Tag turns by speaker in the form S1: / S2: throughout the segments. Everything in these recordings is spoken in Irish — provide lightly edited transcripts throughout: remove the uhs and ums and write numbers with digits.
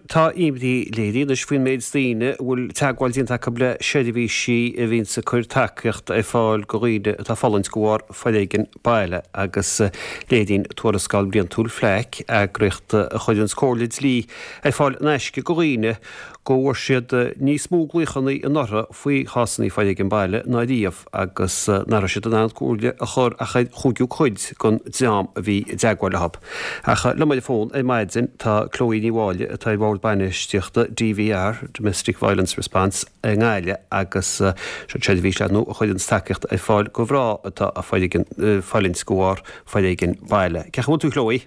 S1: Tá imní léirithe anois faoin méid daoine a bhfuil teagmháil déanta acu le seirbhísí a bhíonns ag cur tacaíocht ar fáil do dhaoine atá ag fulaingt de bharr foréigean baile agus léiríonn tuarascáil bhliantúil FLAC, eagraíocht a chuireanns comhairle dlí ar fáil in aisce do dhaoine, go bhfuair siad níos mó glaochanna anuraidh faoi chásanna foréigean baile ná riamh. agus nach raibh siad in ann comhairle a chur ach ar chúigiú cuid den dream a bhí i dteagmháil leo. Ach liom ar an bhfón ar maidin tá Chloe Ní Mháille atá ar bhord bainistíochta DVR, Domestic Violence Response, i nGaillimh agus seo seirbhís ar ndóigh a chuireanns tacaíocht ar fáil do mhná atá ag fulaingt de bharr foréigean baile. Cén chaoi a bhfuil tú Chloe?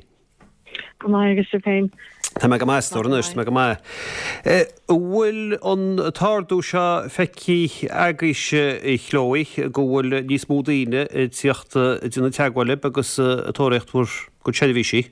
S2: Go maith agus sibh féin?
S1: Tá mé go maith, a stór anois, tá mé go maith. An bhfuil an t-ardú seo feicthe agaibhse, a Chloe, go bhfuil níos mó daoine ag tíocht ag déanamh teagmháil libh agus ag tóraíocht bhur gcuid seirbhísí?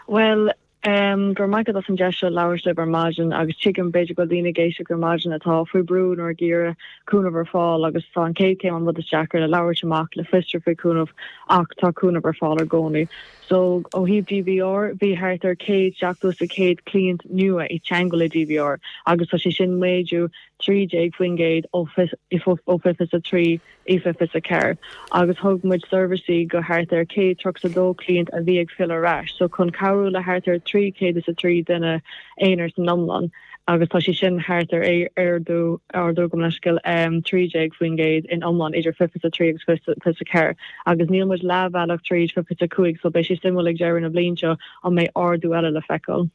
S2: Bhuel, go raibh maith agat as an deis seo labhairt libh ar maidin agus tuigim b'fhéidir go bhfuil daoine ag éisteacht ar maidin atá faoi brú nó ag iarraidh cúnamh ar fáil agus tá an chéad chéim an rud is deacra le labhairt amach, le fiosrú faoi chúnamh ach tá cúnamh ar fáil i gcónaí. So ó thaobh DVR, bhí thart ar 170 is a 100 cliant nua i dteangmháil le DVR agus tá sé sin méadú 13% ó 2023 i 2024 agus thug muid seirbhísí go thart ar 132 cliant a bhí ag filleadh ar ais, so chun cabhrú le thart ar 303 duine aonair san iomlán. agus tá sé sin thart ar ardú, ardú gabh mo leithscéal, 13% in iomlán idir 2023 agus 2024 agus níl muid leathbhealach tríd 2025 so beidh sé suimiúil ag deireadh na bliana seo an mbeidh ardú eile le feiceáil.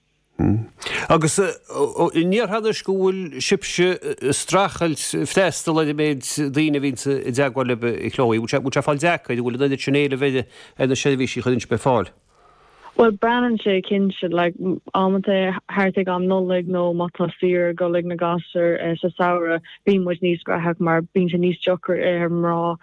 S1: Agus an ndéarfá anois go bhfuil sibhse ag streachailt freastal ar an méid daoine a bhíonns i dteagmháil libh, a Chloe? Bhfuil sé ag fáil deacair? An bhfuil an oiread sin éilimh ar na seirbhísí a chuireann sibh ar fáil?
S2: Bhuel, braitheann sé cinnte, like, amanta thart ag am Nollaig nó má tá saoire ag dul ag na gasúir sa samhradh, bíonn muid níos graitheach mar bíonn sé níos deacra ar mná,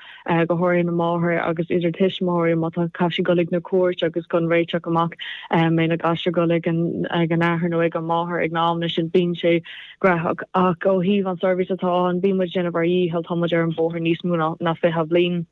S2: go háirithe na máthair agus idir tuismitheoirí má tá caithfidh siad dul ag na cúirt agus chun réiteach amach mbeidh na gasúir ag dul ag an ag an athair nó ag an máthair ag na amanna sin, bíonn sé graitheach. Ach ó thaobh an seirbhís atá ann, bíonn muid ag déanamh ár dhícheall, tá muid ar an bóthar níos mó ná ná 20 bliain.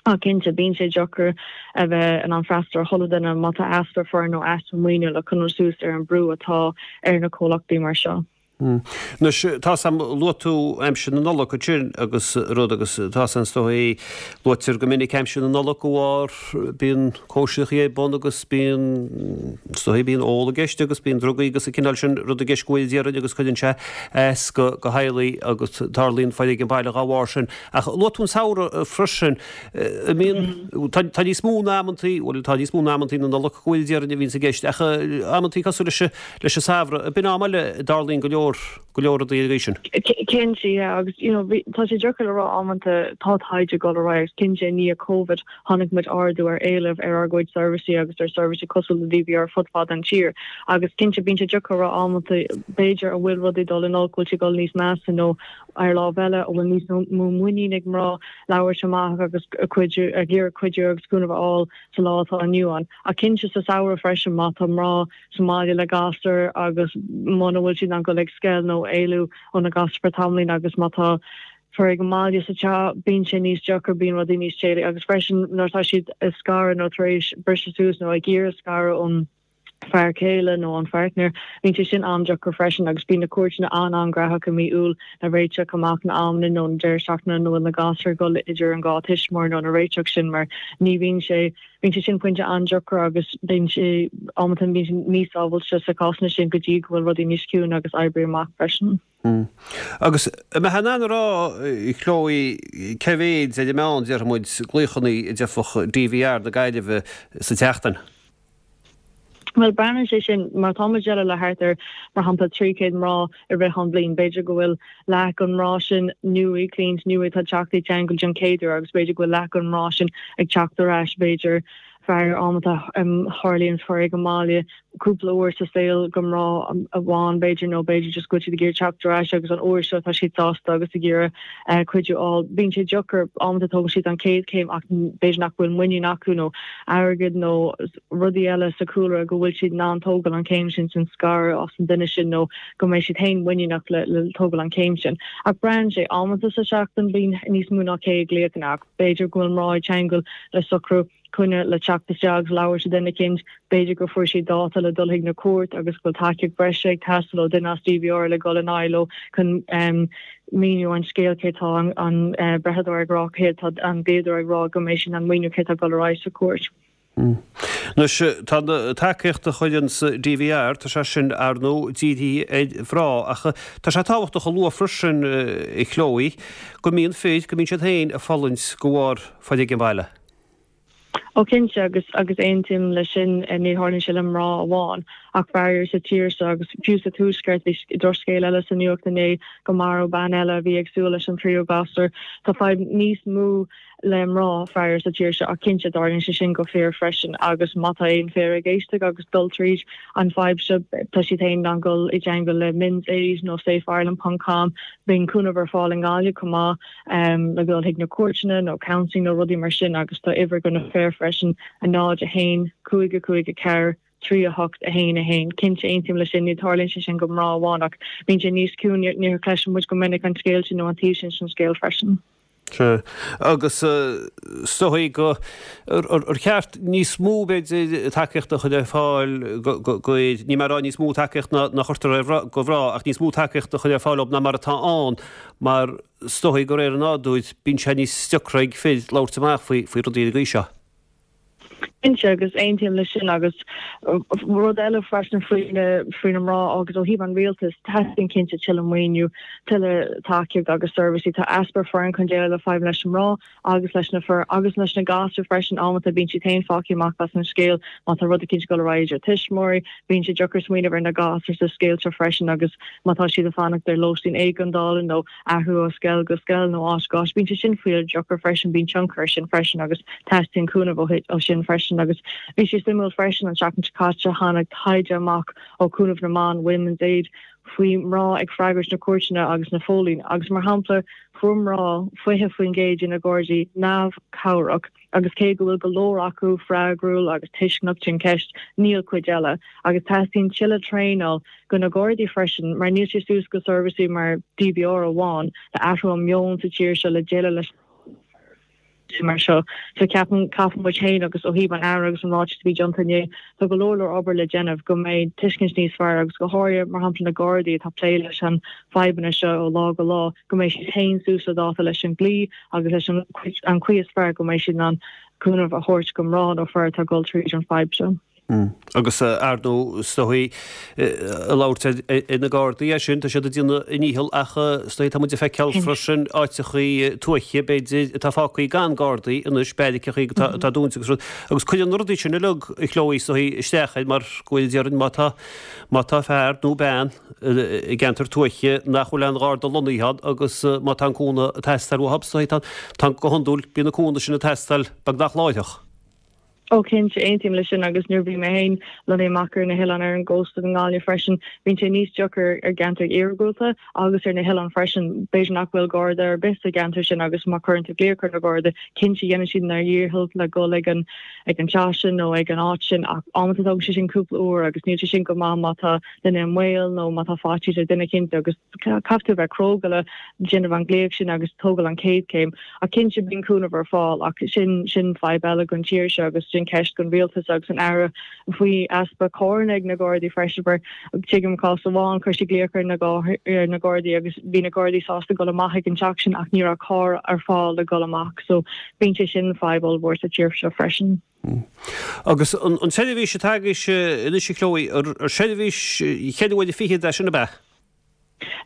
S2: Ach cinnte, bíonn sé deacair a bheith in ann freastal ar chuile duine má tá easpa foireann nó easpa maoiniú le coinneáil suas ar an brú atá ar na comhlachtaí mar seo.
S1: Anois, tá 's a'm, luaigh tú aimsir na Nollag ansin agus rud agus tá 's a'm is dóigh, luaitear go minic aimsir na Nollag de bharr bíonn cóisireachaí ar bun agus bíonn, is dóigh, bíonn ól i gceist agus bíonn drugaí agus an cineál sin rud i gceist go bhfuil déarfainn agus cuireann sé as do theaghlaigh agus tarlaíonn foréigean baile dá bharr sin. Ach luaigh tú an samhradh freisin. An mbíonn, tá, tá níos mó ná amantaí, bhuel, tá níos mó ná amantaí na Nollag go bhfuil déarfainn a bhíonns i gceist, ach amantaí cosúil leis, leis an samhradh, b'in am eile a dtarlaíonn go leor, go leor rudaí ar an gcaoi sin.
S2: Cinnte, yeah, agus you know, bhí, tá sé deacair le rá amanta, tá taighde ag dul ar aghaidh agus cinnte i ndiaidh Covid chonaic muid ardú ar éileamh ar ár gcuid seirbhísí agus ar seirbhísí cosúil le DVR fud fad an tír agus cinnte bíonn sé deacair a rá amanta b'fhéidir an bhfuil rudaí dul in olc, bhfuil sé dul níos measa nó Ar lámh eile, an bhfuil níos mó muinín ag mná labhairt amach agus cuidiú, ag iarraidh cuidiú agus cúnamh a fháil sa lá atá inniu ann. Ach cinnte sa samhradh freisin, má tá mná sa mbaile le gasúir agus muna bhfuil siad in ann dul ag scoil nó éalú ó na gasúir for tamaillín agus má tá foréigean baile sa teach, bíonn sé níos deacair, bíonn rudaí níos téalaí agus freisin nuair atá siad ag scaradh nó tar éis briseadh suas nó ag iarraidh scaradh ón fear céile nó an pháirtnéir. Bíonn sé sin an-deacair freisin agus bíonn na cúirteanna an-an-ghnóthach i mí Iúil le réiteach amach na amanna nó na deireadh seachtaine nó na gasúir ag dul idir an dhá tuismitheoir nó na réiteach sin mar ní bhíonn sé bíonn sé sin pointe an-deacair agus bíonn sé amanta bíonn sé níos sábháilte sa cásanna sin go dtí go bhfuil rudaí níos ciúine agus oibrithe amach freisin.
S1: Agus an mbeifeá in ann a rá, Chloe, cé mhéid ar an meán, déarfaidh muid, glaochanna a d'fhaigheadh DVR na Gaillimhe sa tseachtain?
S2: Bhuel, braitheann sé sin, má tá muid ag déileáil le thart ar, mar shampla, 300 mná i rith an bhliain, b'fhéidir go bhfuil leath den mná sin nua, cliaint nua atá ag teacht i dteangmháil den chéad uair agus b'fhéidir go bhfuil leath den mná sin ag teacht ar ais, b'fhéidir, fear amanta tarlaíonn foréigean baile cúpla uair sa saol do mná amháin b'fhéidir nó b'fhéidir just go bhfuil siad ag iarraidh teacht ar ais agus an uair seo tá siad sásta agus ag iarraidh cuidiú a fháil. Bíonn sé deacair, amanta tógann siad an chéad chéim ach b'fhéidir nach bhfuil muinín acu nó airgead nó rudaí eile sa chúlra go bhfuil siad in ann tógáil an chéim sin sin scaradh as an duine sin nó go mbeidh siad féin muiníneach le le tógáil an chéim sin. Ach braitheann sé, amanta sa seachtain bíonn níos mó ná 100 glaochanna ach b'fhéidir go bhfuil mná ag teangmháil le socrú. coinne le teacht isteach agus labhairt le duine eicínt, b'fhéidir go fuair siad dáta le dul chuig na cúirt agus go bhfuil tacaíocht bhreise ag teastáil ó duine as DVR le dul in aghaidh leo chun míniú an scéal cé tá an breitheadóir ag rá, cé tá an dlíodóir ag rá go mbeidh siad in ann míniú cé tá ag dul ar aghaidh sa chúirt.
S1: Anois, tá an tacaíocht a chuireanns DVR, tá sé sin, ar ndóigh, dírithe ar mhná, ach tá sé tábhachtach a lua freisin, a Chloe, go mbíonn fir, go mbíonn siad féin ag fulaingt de bharr foréigean baile.
S2: Ó cinnte, agus agus aontaím leis sin, ní tharlaíonn sé le mná amháin, ach faraor sa tír seo agus fiú sa Tuaisceart, bhí drochscéal eile sa nuacht inné go maraíodh bean eile a bhí ag súil leis an tríú gasúr. Tá fadhb níos mó le mná, faraor, sa tír seo ach cinnte tarlaíonn sé sin go fir freisin agus má tá aon fir ag éisteacht agus dul tríd an fadhb seo tá siad féin in ann dul i dteangmháil le Men's Aid nó safeireland ponc com. Bíonn cúnamh ar fáil i nGaillimh chomh maith le dul chuig na cúirteanna nó counselling nó rudaí mar sin agus tá uimhir go na fir freisin, 0, 1, 5, 5, 4, 3, 8, 1, 1. Cinnte, aontaím leis sin, ní tarlaíonn sé sin go mná amháin ach bíonn sé níos ciúine, ní chloiseann muid go minic an scéal sin nó an taobh sin den scéal freisin.
S1: Sea. Agus is dóigh go, ar cheart níos mó, b'fhéidir, tacaíochta a chur ar fáil go, níl mé ag rá níos mó tacaíocht ná a chuirtear ar go mhná, ach níos mó tacaíochta a chur ar fáil dóibh ná mar atá ann, mar is dóigh de réir an nádúir, bíonn sé níos deacra ag fir labhairt amach faoi rudaí ar an gcaoi seo.
S2: Cinnte, agus aontaím leis sin agus rud eile freisin faoi na faoi na mná agus ó thaobh an rialtais, teastaíonn cinnte tuilleadh maoiniú, tuilleadh tacaíocht agus seirbhísí. Tá easpa foireann chun déileáil le fadhbanna leis na mná agus leis na fir agus leis na gasúir freisin. Amanta bíonn siad féin fágtha amach as an scéal má tá rud eicínt ag dul ar aghaidh idir tuismitheoirí, bíonn sé deacair smaoineamh ar na gasúir sa scéal seo freisin agus má tá siad ag fanacht ar lóistín éigeandála nó athrú ó scoil go scoil nó áit go áit. Bíonn sé sin fíor deacair freisin, bíonn tionchar ar sin freisin agus teastaíonn cúnamh ó sin freisin. Agus bhí sé suimiúil freisin an tseachtain seo caite tháinig taighde amach ó Chúnamh na mBan, Women's Aid, faoi mná ag freagairt na cúirteanna agus na phóilíní agus mar shampla fuair mná 20% de na Gardaí neamhchabhrach agus cé go bhfuil go leor acu freagrúil agus tuisceanach den cheist níl cuid eile agus teastaíonn tuilleadh traenáil go na Gardaí freisin, mar níl sé suas go seirbhísí mar DVR amháin le athrú an meon sa tír seo le déileáil leis mar seo. So ceapaim, caithfidh muid féin agus ó thaobh an Aire agus an ráiteas a bhí déanta inné, tá go leor leor obair le déanamh go mbeidh tuiscint níos fearr agus go háirithe mar shampla na Gardaí atá ag plé leis an fadhbanna seo ó lá go lá, go mbeidh siad féin suas le dáta leis an dlí agus leis an an chaoi is fearr go mbeidh siad in ann cúnamh a thabhairt go mná nó fir atá ag dul tríd an fadhb seo.
S1: Agus ar ndóigh, is dóigh, ag labhairt ar na Gardaí é sin, tá siad ag déanamh a ndícheall ach is dóigh tá muid ag feiceáil freisin áiteachaí tuaithe, b'fhéidir, atá fágtha gan Gardaí anois, beairiceachaí atá dúnta agus rud, agus cuireann na rudaí sin uilig, a Chloe, is dóigh, isteach air mar go bhfuil, déarfainn, má tá, má tá fear nó bean i gceantar tuaithe nach bhfuil aon Gharda lonnaithe ann agus má tá an cúnamh ag teastáil uathu, is dóigh, tá, tá, go hiondúil, bíonn an cúnamh sin ag teastáil beagnach láithreach.
S2: Ó cinnte, aontaím leis sin agus nuair a bhí mé féin lonnaithe amach ar na hoileáin ar an gcósta i nGaillimh freisin, bíonn sé níos deacair ar gceantair iargúlta agus ar na hoileáin freisin. B'fhéidir nach bhfuil Garda ar bith sa gceantar sin agus má chuireann tú glaoch ar na Garda, cinnte dhéanann siad a ndícheall le dhul ag an ag an teach sin nó ag an áit sin ach amanta tógann sé sin cúpla uair agus níl sé sin go maith má tá duine i mbaol nó má tá faitíos ar duine cinnte agus Caithfidh tú a bheith cróga le déanamh an glaoch sin agus tógáil an chéad chéim. Ach cinnte bíonn cúnamh ar fáil ach sin sin fadhb eile don tír seo agus sin ceist don rialtas agus an Aire faoi easpa carranna ag na Gardaí freisin mar tuigim cás amháin chuir sí glaoch ar na ar na Gardaí agus bhí na Gardaí sásta dul amach ag an teach sin ach ní raibh carr ar fáil le dul amach so bíonn sé sin fadhb ollmhór sa tír seo freisin.
S1: Agus an tseirbhís atá agaibhse anois a Chloe, ar seirbhís cheithre huaire fichead é sin ab ea?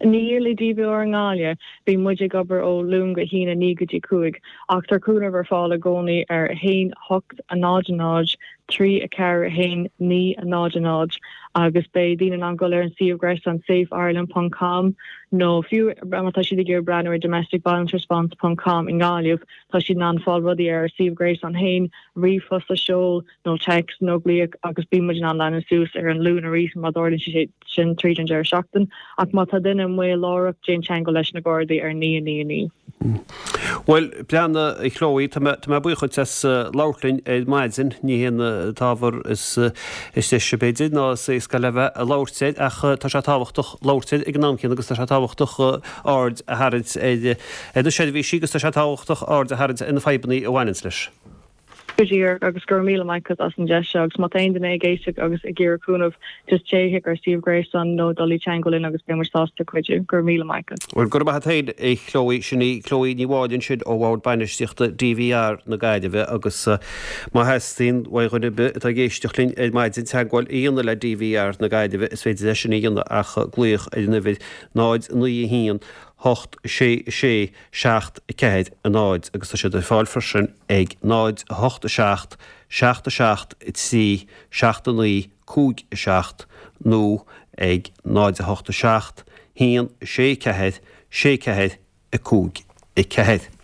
S2: Níl i DVR i nGaillimh. Bíonn muid ag obair ó Luan go hAoine 9 go dtí 5 ach tá cúnamh ar fáil i gcónaí ar 1 8 0 0 3 4 1 9 0 0 agus beidh daoine in ann dul ar an suíomh gréasáin safeireland ponc com nó fiú má tá siad ag iarraidh breathnú ar domesticviolenceresponse ponc com i nGaillimh Tá siad in ann fáil rudaí ar ár suíomh gréasáin féin, ríomhphost a sheol nó téacs nó glaoch agus bíonn muid in ann leanúint suas ar an Luan arís má tharlaíonn sé sin tríd an deireadh seachtain. Ach má tá duine i mbaol láithreach, déan teagmháil leis na Gardaí ar 9 9 9.
S1: Bhuel, breathnaigh, a Chloe, tá mé, tá mé buíoch duit as labhairt linn ar maidin. Ní hé an t-ábhar is, is deise b'fhéidir ná is éasca le bheith ag labhairt air ach tá sé tábhachtach labhairt air ag an am céanna agus tá sé tábhachtach aird a tharraingt ar, ar na seirbhísí agus tá sé tábhachtach aird a tharraingt ar na fadhbanna a bhaineanns leis.
S2: Go díreach, agus go raibh míle maith agat as an deis seo, agus má tá aon duine ag éisteacht agus ag iarraidh cúnamh, just téigh chuig ár suíomh gréasáin nó dul i dteangmháil linn agus beidh muid sásta cuidiú. Go raibh míle maith agat.
S1: Bhuel, go raibh maith agat féin, a Chloe. Sin í Chloe Ní Mháille ansin ó Bhord Bainistíochta DVR na Gaillimhe agus má theastaíonn uaidh dhuine ar bith atá ag éisteacht linn ar maidin teagmháil a dhéanamh le DVR na Gaillimhe, is féidir é sin a dhéanamh ach glaoch ar an uimhir 0 9 1 8 6 6 7 4 0 agus tá siad ar fáil freisin ag 0 8 7 7 7 3 7 9 5 7 nó ag 0 8 7 1 6 4 6 4 5 4.